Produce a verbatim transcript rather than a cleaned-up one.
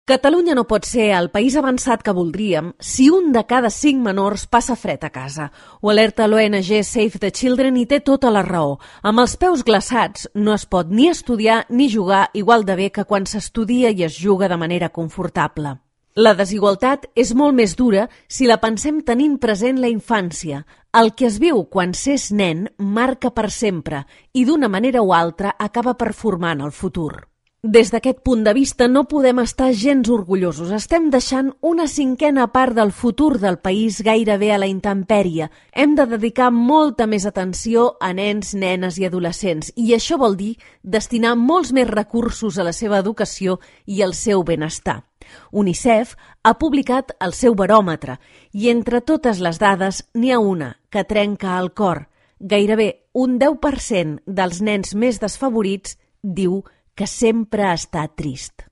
Catalunya no pot ser el país avançat que voldríem si un de cada cinc menors passa fred a casa. Ho alerta l'O N G Save the Children i té tota la raó. Amb els peus glaçats no es pot ni estudiar ni jugar igual de bé que quan s'estudia i es juga de manera confortable. La desigualtat és molt més dura si la pensem tenint present la infància. El que es viu quan s'és nen marca per sempre i d'una manera o altra acaba performant el futur. Des d'aquest punt de vista no podem estar gens orgullosos. Estem deixant una cinquena part del futur del país gairebé a la intempèrie. Hem de dedicar molta més atenció a nens, nenes i adolescents i això vol dir destinar molts més recursos a la seva educació i al seu benestar. UNICEF ha publicat el seu baròmetre i entre totes les dades n'hi ha una que trenca el cor. Gairebé un deu per cent dels nens més desfavorits diu que sempre ha estat trist.